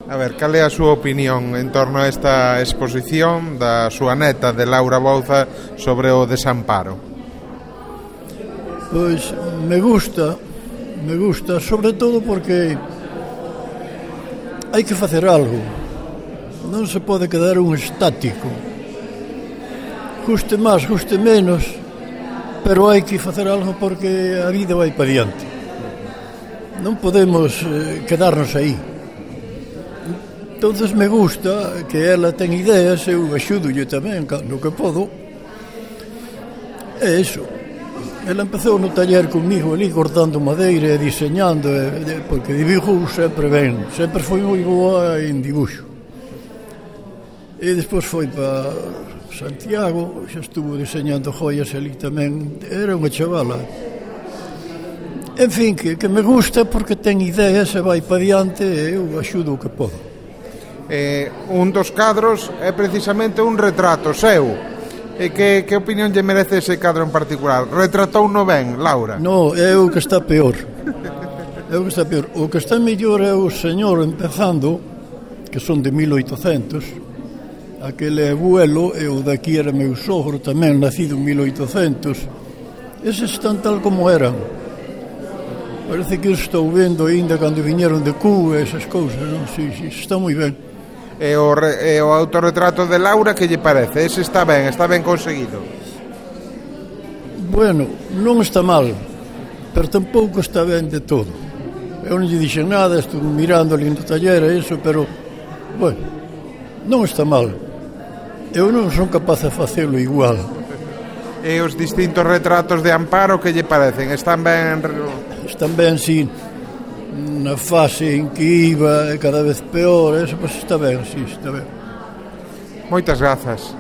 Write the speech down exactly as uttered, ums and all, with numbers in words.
A ver, cal é a súa opinión en torno a esta exposición da súa neta, de Laura Bouza, sobre o desamparo? Pois me gusta, me gusta, sobre todo porque hai que facer algo. Non se pode quedar un estático. Guste máis, guste menos, pero hai que facer algo porque a vida vai para diante. Non podemos eh, quedarnos aí. Entonces me gusta que ela ten ideas, eu axúdolle tamén no que podo. É iso. Ela empezou no taller comigo ali cortando madeira e diseñando, porque dibujo sempre ben, sempre foi moi boa en dibuixo. E despois foi para Santiago, xa estuvo diseñando joias ali tamén, era unha chavala. En fin, que, que me gusta porque ten ideas e vai para diante e eu axudo o que podo. Eh, un dos cadros é precisamente un retrato seu. E que, que opinión lle merece ese cadro en particular? Retratou no ben, Laura? No, é o que está peor. É o que está peor. O que está mellor é o señor empezando, que son de mil oitocentos. Aquele abuelo, e o daqui era meu sogro tamén, nacido en mil oitocentos. Eses están tal como eran. Parece que estou vendo ainda cando viñeron de Cuba, esas cousas, non? Si, si, está moi ben. E o, re, e o autorretrato de Laura, que lle parece? Ese está ben, está ben conseguido. Bueno, non está mal, pero tampouco está ben de todo. Eu non lle dixen nada, estou mirando ali no taller e iso, pero, bueno, non está mal. Eu non son capaz de facelo igual. E os distintos retratos de Amparo, que lle parecen? Están ben... Están ben, si, na fase en que iba cada vez peor, eso, pois está ben, si, está ben. Moitas grazas.